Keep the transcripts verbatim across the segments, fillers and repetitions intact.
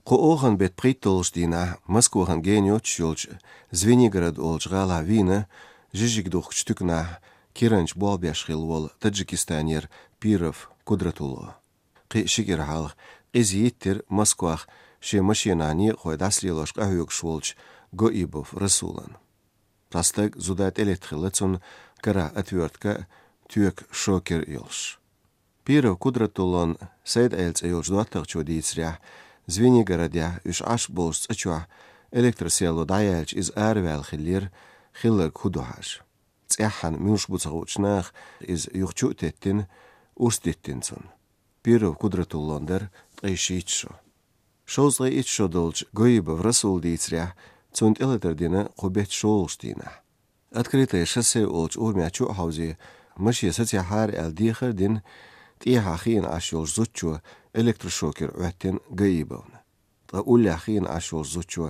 Кху оханан беттан пхийтталгӀачу дийнахь Москвахана гена йоццуш йолчу Звенигород олучу гӀалахь вийна жижиг духкучу туьканахь киранча болх беш хилла волу Таджикистанера Пиров Кудратулло. Кхин а ши кӀира хьалха къиза йиттира Москвахь шен машенахь некъахой дӀасалелош къахьоьгуш волчу Гаибов Расулна. Цхьа стаг зуда тӀелетта хилла цунна, карахь отвёртка а, тоька шокер а йолуш. Пиров Кудратуллон Сайд-Ӏела цӀе йолчу доттагӀчо дийцарехь, Звенигородехь уьш Ӏаш болчу цӀа чохь электросвязь дӀаяьлча иза араваьлла хиллера, хилларг хӀун ду хьажа. ЦӀеххьана муьлш бу ца хуучу наха иза юха чу а теттина, урс диттина цунна. Пиров Кудратуллон дара ткъе шийтта шо. Шовзткъе итт шо долчу Гаибов Расула дийцарехь, цунна тӀелатар дина кху беттан шолгӀачу дийнахь. Открытое шоссе олучу урамехь чу а хьовзий, машен сацийхьара аьлла дехар а дина, тӀехьа хиъна Ӏаш йолчу зудчо электрошокер Ӏоьттина Гаибовна. Ткъа уллехь хиъна Ӏаш йолчу зудчо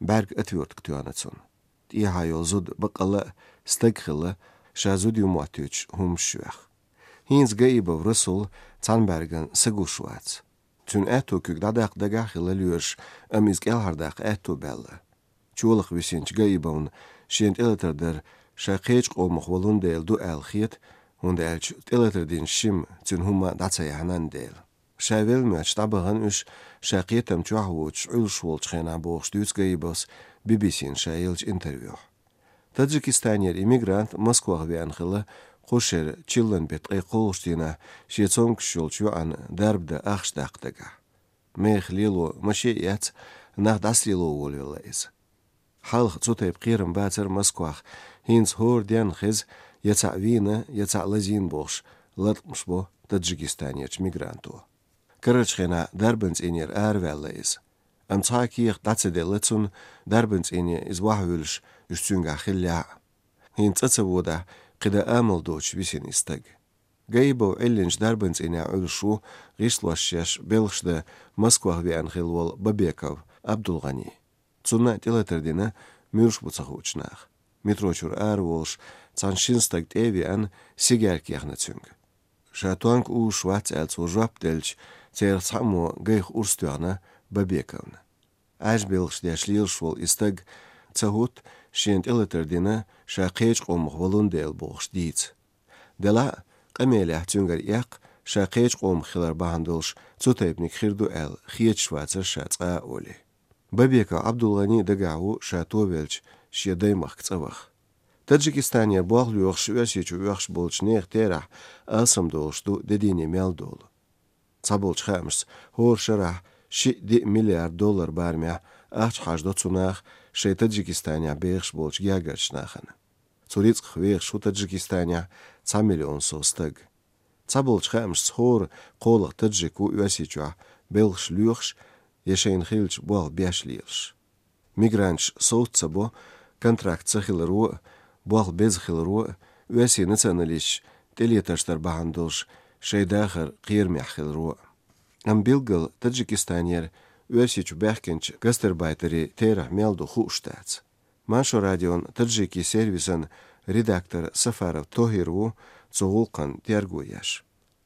бӀаьрга отвёртка тоьхна цунна. ТӀехьа йолу зуда баккъалла а стаг хилла, ша зуда ю моттуьйтуш хӀуманаш йоьхна. ХӀинца Гаибов Расул цхьана бӀаьргана са гуш вац. Цуьнан аьтту куьг дӀадаккха дагахь хилла лоьраша, амма иза кӀелхьардаккха аьтту баьлла. Чолакха висинчу Гаибовна шена тӀелатар дар ша кхечу къомах волун дела ду аьлла хета, хӀунда аьлча тӀелатар динчу шимма цуьнан хӀума дӀа ца яьхьнан дела. Ша велла моьттуш дӀабахана уьш, ша кхетам чохь а воцуш Ӏуьллуш волчу хенахь бохуш дуьйцу Гаибовс Би-Би-Сина ша еллачу интервьюхь. Таджикистанера и мигрант Москвахь веана хилла кху шеран чиллан беттан ткъе кхоалгӀачу дийнахь шен цомгуш йолчу йоӀана дарба дан ахча даккха дагахь. Мехах лело маше а эцна, нах дӀасалело волавелла иза. Хьалха цу тайпа кхерам бацара Москвахь, хӀинца хӀора денна хеза, я цхьаъ вийна, я цхьаъ лазийна бохуш, латкъамаш бо Таджикистанерчу мигранто. Карарчу хенахь дарбан цӀийнера араваьлла иза. Амма цхьа а кехат дӀа ца делла цунна, дарбан цӀийне иза вахьа вуьллуш, уьш цуьнгахь хиллехь а. ХӀинца цӀа ца водахь, кхин дан амал доцуш висина и стаг. Гаибов Ӏиллинчу дарбан цӀийнехь Ӏуьллуш ву, гӀишлош еш, белхаш дан Москвахь веана хилла волу Бабеков Абдулгъани. Цунна а тӀелатар дина муьлш бу ца хуучу наха. Метро чуьра ара волуш, цхьана шина стага тӀе а веана, сигаьрка яхна цуьнга. Ша тонка узуш вац аьлла цо жоп делча, церах цхьаммо гайх урс тоьхна Бабековна. Ӏаьржа белхаш деш лелаш волу и стаг ца хӀутту, шена тӀелатар дина, ша кхечу къомах волун дела бохуш дийца. Делахь а, къамелехь цуьнгара эккха, ша кхечу къомах хилар бахьана долуш цу тайпаниг хир ду аьлла, хеташ вацара ша цкъа а олий. Бабеков Абдулгъани дагахь ву ша товелча шен даймахка цӀа ваха. Таджикистанера болх лоьхуш Оьрсийчу воьхуш болчу нехан терахь алсамдолуш ду де дийне мел долу. Цхьаболчу хаамашца, хӀора шарахь шиъ-диъ миллиард доллар барамехь ахча хьажадо цу наха шайн Таджикистанехь бехаш болчу гергарчу нахана. Цу рицкъах вехаш ву Таджикистанехь цхьа миллион сов стаг. Цхьаболчу хаамашца, хӀора кхоалгӀа таджик ву Оьрсийчохь белхаш лоьхуш я шайна хиллачу болх беш лелаш. Мигранташ совца ца бо, контракт ца хиларо а, болх беза хиларо а, оьрсийн националисташ тӀелетарш дар бахьана долуш шайн дахар кхерамехь хиларо а. Амма билггал Таджикистанера Оьрсийчу баьхкинчу гастарбайтерийн терахь мел ду хууш дац. Маршо радион таджикийн сервисан редактор Сафаров Тохир ву цу гӀуллакхан терго еш.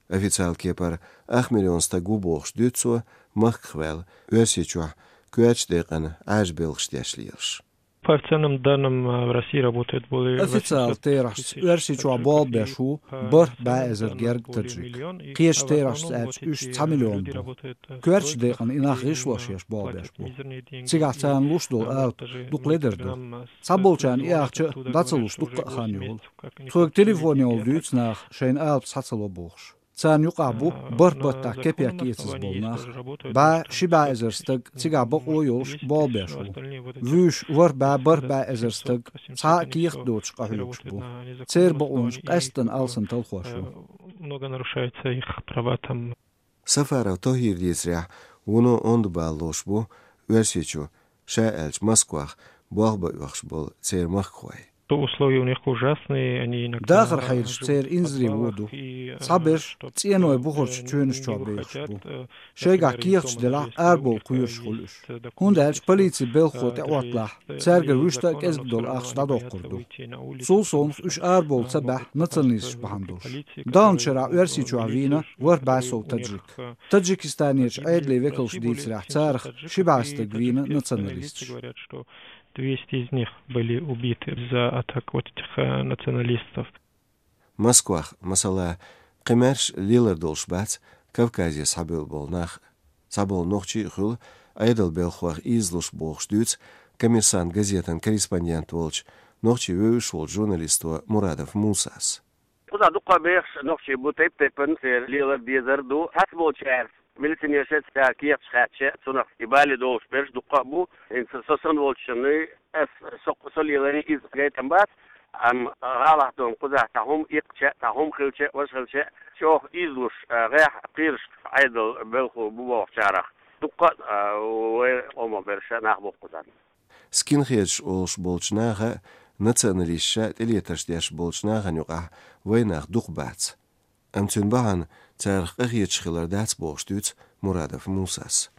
Официал кепара ах миллион стаг ву бохуш дуьйцу цо, махках ваьлла, Оьрсийчохь коьртачу декъана Ӏаьржа белхаш деш лелаш. По официальным данным, э, в России работает более... Официал терахьца Оьрсийчохь болх беш ву бархӀ бӀе эзар герга таджик. Кхечу терахьца аьлча, уьш цхьа миллион бу. Коьртачу декъана и нах гӀишлош еш болх беш бу. Цигахь царна луш долу алапа дукха ледар ду. Цхьаболчарна и ахча а дӀа ца луш дуккха а хан йолу. Тхоьга телефон йолу дуьйцу наха шайна алапа схьа ца ло бохуш. Царна юкъахь бу бархӀ баттахь кепек эцаза болу нах. БӀе, ши бӀе эзар стаг цигахь бакъо йолуш болх беш ву. Вуьйш ворхӀ бӀе, бархӀ бӀе эзар стаг, цхьа а кехат доцуш къахьоьгуш бу. Церан бакъонаш къаьсттина алсам талхош ю. Много нарушается их права там. Сафаров Тохир дийцарехь, вуно онда бала лош бу Оьрсийчу, ша аьлча Москвах, болх бан оьхуш болу церан махкахой. То условия у них ужасные, они иногда Дахар хьайраш церан инзаре воду. Цхьаберш цӀеной бухарчу чоьнаш чохь бевлла бу. Шайгахь кехаташ делахь, арабовла кхоьруш хуьлу уьш. ХӀунда аьлча полицин белхахо тӀеӀотталахь, цаьргара вуьшта а кӀезиг долу ахча дӀадоккхур ду. Цул совнаха уьш арабовла ца баьхьа националисташ бахьана долуш. Даханчу шарахь Оьрсийчохь вийна ворхӀ бӀе сов таджик. Таджикистанерчу Ӏедалан векалша дийцарехь, царах ши бӀе стаг вийна националисташ. Двести из них были убиты из-за атак вот этих, э, националистов. Москвахь, масала, кхин маьрша лелар долуш бац Кавказе схьабевлла болу нах. Цхьаболу нохчий а хуьлу Ӏедалан белхалойх ийзалуш, бохуш дуьйцу «Коммерсант» газетан корреспондент волчу, нохчий вевзаш волчу журналисто Мурадов Мусас. Кхузахь дуккха а бехаш нохчий бу, тайп-тайпана церан лелар, дезар ду. Цхьаболчара милиционерша цара кехаташ хаьттича, цунах и бале долуш берш дуккха а бу. ХӀинца со санна волчунна, ас, со, со леларий иза гайтам бац, амма гӀалахь долу кхузахь цхьа хӀума иккхича, цхьа хӀума хилча, важа хилча, чӀогӀа ийзалуш, а, гӀехь кхераш Ӏедалан белхалой бу бохучарах дуккха а, а, вайн къомах берш нах бу кхузахь. Скинхедаш олуш болчу наха а, националисташа тӀелетарш деш болчу нахана юкъахь вайн нах дукха бац. Амма цуьнан бахьана царах къахеташ хилар дац, бохуш дуьйцу Мурадов Мусас.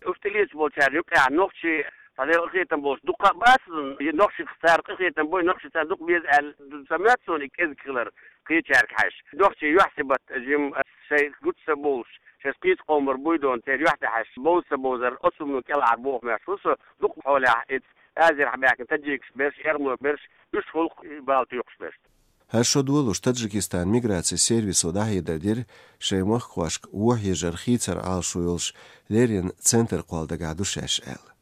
Уьш тӀелеташ болчарна юкъахь нохчий, цхьа къахетам болуш дуккха а бац, и нохчех цара къахетам бой, нохчий царна дукха беза аьлла ца моьтту суна и кӀезиг хилар кхечаьрга хьаьжча. Нохчий юьхь-сибат жимма шайн гучу ца бовлуш, шаьш кхечу къомара буй дона, церан юьхь тӀе хьаьжча, бовза ца бовзар, оцу хӀумано кӀелхьара бохамеш ву со, дукха хьолехь иза Азерхьа баьхкина таджикаш берш, эрмалой берш, уьш гӀуллакх бала туьйхуш берш. ХӀара шо долуш Таджикистан миграцин сервисо дӀахьедар дира, шайн махкахошка вон хьежар хийцар Ӏалашо йолуш леррина центр кхолла дагахь ду шаьш аьлла.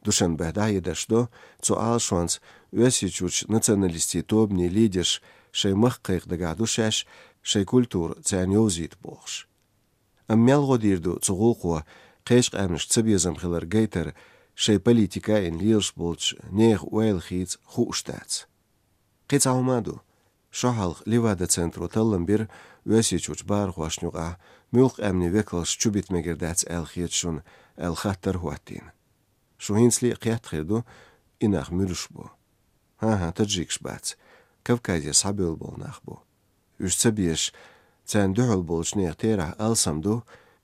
Душанбехь дӀахьедарш до, цу Ӏалашонца Оьрсийчуьрчу националистийн тобанийн лидерш шайн махка кхайкха дагахь ду шаьш, шайн культура царна йовзийта бохуш. Амма мел гӀо дийр ду цу гӀуллакхо кхечу къаьмнашка цабезам хилар гайтар, шайн политика а йина лелаш болчу нехан ойла хийца хууш дац. Кхин цхьа хӀума а ду. Шо хьалха Левада-центро таллам бира Оьрсийчуьрчу бахархошна юкъахь муьлхха къаьмнийн векалш чубита мегар дац аьлла хета шуна аьлла хаттар а хӀоттийна. Шу хӀинцале а кхетта хир ду, и нах муьлш бу. ХӀан-хӀа, таджикаш бац, Кавказе схьабевлла болу нах бу. Уьш ца безаш, царна дуьхьал болчу нехан терахь алсам ду,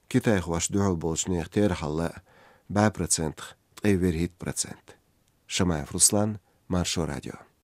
китайхошна дуьхьал болчу нехан терахьалла а бӀе процентах ткъе ворхӀитта процент. Шамаев Руслан, Маршо радио.